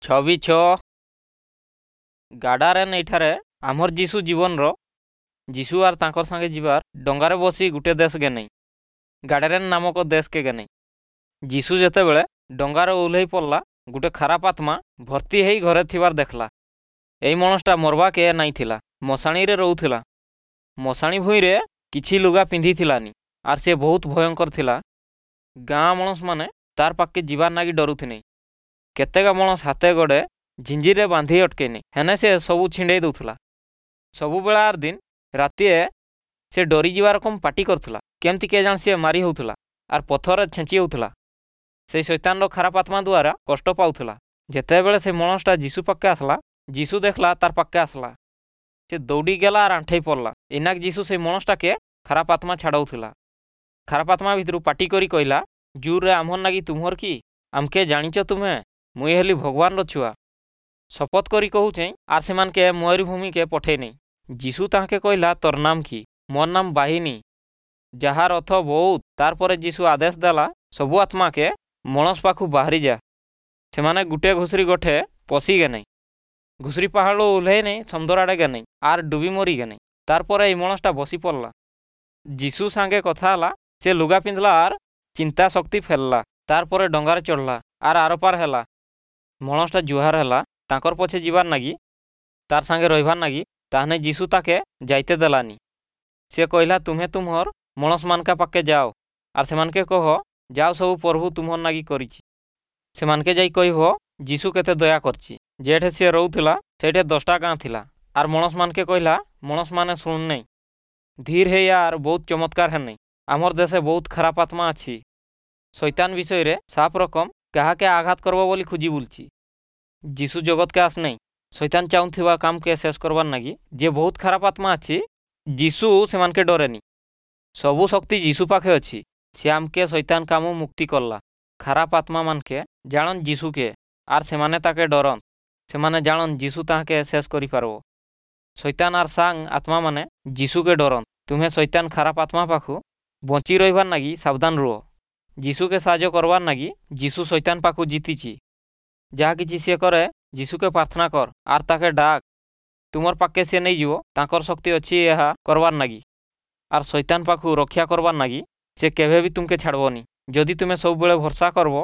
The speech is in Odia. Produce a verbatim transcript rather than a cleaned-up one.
ଛବି ଛଅ ଗାଡାରେନ୍ ଏଇଠାରେ ଆମର୍ ଯୀଶୁ ଜୀବନର ଯୀଶୁ ଆର୍ ତାଙ୍କର ସାଙ୍ଗେ ଯିବାର ଡଙ୍ଗାରେ ବସି ଗୁଟେ ଦେଶ ଗେନେଇ ଗାଡାରେନ୍ ନାମକ ଦେଶକେ ଗେନେଇ ଯୀଶୁ ଯେତେବେଳେ ଡଙ୍ଗାରେ ଓହ୍ଲେଇ ପଡ଼ଲା ଗୁଟେ ଖାରାପ ଆତ୍ମା ଭର୍ତ୍ତି ହେଇ ଘରେ ଥିବାର ଦେଖଲା ଏଇ ମଣସଟା ମରବାକେ ନାଇଁ ଥିଲା ମଶାଣିରେ ରହୁଥିଲା ମଶାଣି ଭୁଇଁରେ କିଛି ଲୁଗା ପିନ୍ଧିଥିଲାନି ଆର୍ ସେ ବହୁତ ଭୟଙ୍କର ଥିଲା ଗାଁ ମଣସମାନେ ତାର୍ ପାଖକେ ଯିବାର୍ ନାଗି ଡରୁଥିନେ କେତେକ ମଣସ ହାତେ ଗୋଡ଼େ ଝିଞ୍ଜିରେ ବାନ୍ଧି ଅଟକେଇନେ ହେନେ ସେ ସବୁ ଛିଣ୍ଡେଇ ଦଉଥିଲା ସବୁବେଳେ ଆର୍ ଦିନ ରାତିଏ ସେ ଡରିଯିବା ରକମ ପାଟି କରୁଥିଲା କେମିତି କେଜାଣି ସିଏ ମାରି ହେଉଥିଲା ଆର୍ ପଥରରେ ଛେଞ୍ଚି ହେଉଥିଲା ସେଇ ଶୈତାନର ଖାରାପ ଆତ୍ମା ଦ୍ୱାରା କଷ୍ଟ ପାଉଥିଲା ଯେତେବେଳେ ସେ ମଣସଟା ଯୀଶୁ ପାଖକେ ଆସିଲା ଯୀଶୁ ଦେଖିଲା ତାର୍ ପାଖକେ ଆସିଲା ସେ ଦୌଡ଼ି ଗଲା ଆର୍ ଆଣ୍ଠେଇ ପଡ଼ଲା ଇନାକ ଯୀଶୁ ସେଇ ମଣସଟାକେ ଖାରାପ ଆତ୍ମା ଛାଡ଼ଉଥିଲା ଖାରାପ ଆତ୍ମା ଭିତରୁ ପାଟି କରି କହିଲା ଜୁରରେ ଆମ୍ହର ନାଗି ତୁମର କି ଆମକେ ଜାଣିଛ ତୁମେ ମୁଇଁ ହେଲି ଭଗବାନର ଛୁଆ ଶପଥ କରି କହୁଛେଁ ଆର୍ ସେମାନକେ ମରୁଭୂମିକେ ପଠେଇନେଇ ଯୀଶୁ ତାହାକେ କହିଲା ତୋର ନାମ କି ମୋର୍ ନାମ ବାହିନୀ ଯାହାର ଅର୍ଥ ବହୁତ ତାର୍ ପରେ ଯୀଶୁ ଆଦେଶ ଦେଲା ସବୁ ଆତ୍ମାକେ ମଣସ ପାଖୁ ବାହାରି ଯା ସେମାନେ ଗୁଟେ ଘୁଷୁରି ଗଠେ ପଶି ଗେନେଇ ଘୁଷୁରି ପାହାଡ଼ରୁ ଓହ୍ଲେଇ ନେଇ ସମୁଦ୍ର ଆଡ଼େ ଗେନେଇ ଆର୍ ଡୁବି ମରି ଗେନେଇ ତାର୍ ପରେ ଏଇ ମଣସଟା ବସି ପଡ଼ଲା ଯୀଶୁ ସାଙ୍ଗେ କଥା ହେଲା ସେ ଲୁଗା ପିନ୍ଧଲା ଆର୍ ଚିନ୍ତା ଶକ୍ତି ଫେରଲା ତାର୍ ପରେ ଡଙ୍ଗାରେ ଚଢ଼ଲା ଆର୍ ଆରପାର ହେଲା ମଣସଟା ଜୁହାର ହେଲା ତାଙ୍କର ପଛେ ଯିବାର୍ ନାଗି ତାର୍ ସାଙ୍ଗେ ରହିବାର୍ ନାଗି ତାହେନେ ଯୀଶୁ ତାକେ ଯାଇତେ ଦେଲାନି ସେ କହିଲା ତୁମେ ତୁମର ମଣସମାନକା ପାଖକେ ଯାଅ ଆର୍ ସେମାନକେ କହ ଯାଅ ସବୁ ପ୍ରଭୁ ତୁମର ନାଗି କରିଛି ସେମାନକେ ଯାଇ କହିବ ଯୀଶୁ କେତେ ଦୟା କରିଛି ଯେଠେ ସିଏ ରହୁଥିଲା ସେଇଠେ ଦଶଟା ଗାଁ ଥିଲା ଆର୍ ମଣସମାନକେ କହିଲା ମଣସମାନେ ଶୁଣନେଇ ଧୀର ହେଇ ଆର୍ ବହୁତ ଚମତ୍କାର ହେନେଇ ଆମର୍ ଦେଶେ ବହୁତ ଖାରାପ ଆତ୍ମା ଅଛି ଶୈତାନ ବିଷୟରେ ସାପ ରକମ କାହାକେ ଆଘାତ କରବ ବୋଲି ଖୋଜି ବୁଲଛି ଯୀଶୁ ଜଗତକେ ଆସନେଇ ଶୈତାନ ଚାହୁଁଥିବା କାମକେ ଶେଷ କରବାର୍ ନାଗି ଯେ ବହୁତ ଖାରାପ ଆତ୍ମା ଅଛି ଯୀଶୁ ସେମାନକେ ଡରେନି ସବୁ ଶକ୍ତି ଯୀଶୁ ପାଖେ ଅଛି ସେ ଆମକେ ଶୈତାନ କାମୁ ମୁକ୍ତି କଲା ଖାରାପ ଆତ୍ମା ମାନକେ ଜାଣନ୍ ଯୀଶୁକେ ଆର୍ ସେମାନେ ତାକେ ଡରନ୍ ସେମାନେ ଜାଣନ୍ ଯୀଶୁ ତାହାକେ ଶେଷ କରିପାରବ ଶୈତାନ ଆର୍ ସାଙ୍ଗ ଆତ୍ମାମାନେ ଯୀଶୁକେ ଡରନ୍ ତୁମେ ଶୈତାନ ଖାରାପ ଆତ୍ମା ପାଖୁ ବଞ୍ଚି ରହିବାର୍ ନାଗି ସାବଧାନ ରୁହ ଯୀଶୁକେ ସାହାଯ୍ୟ କରବାର୍ ନାଗି ଯୀଶୁ ଶୈତାନ ପାଖୁ ଜିତିଛି ଯାହା କିଛି ସିଏ କରେ ଯୀଶୁକେ ପ୍ରାର୍ଥନା କର ଆର୍ ତାକେ ଡାକ ତୁମର ପାଖକେ ସିଏ ନେଇଯିବ ତାଙ୍କର ଶକ୍ତି ଅଛି ଏହା କରବାର୍ ନାଗି ଆର୍ ଶୈତାନ ପାଖୁ ରକ୍ଷା କରବାର୍ ନାଗି ସେ କେବେ ବି ତୁମକେ ଛାଡ଼ବନି ଯଦି ତୁମେ ସବୁବେଳେ ଭରସା କରବ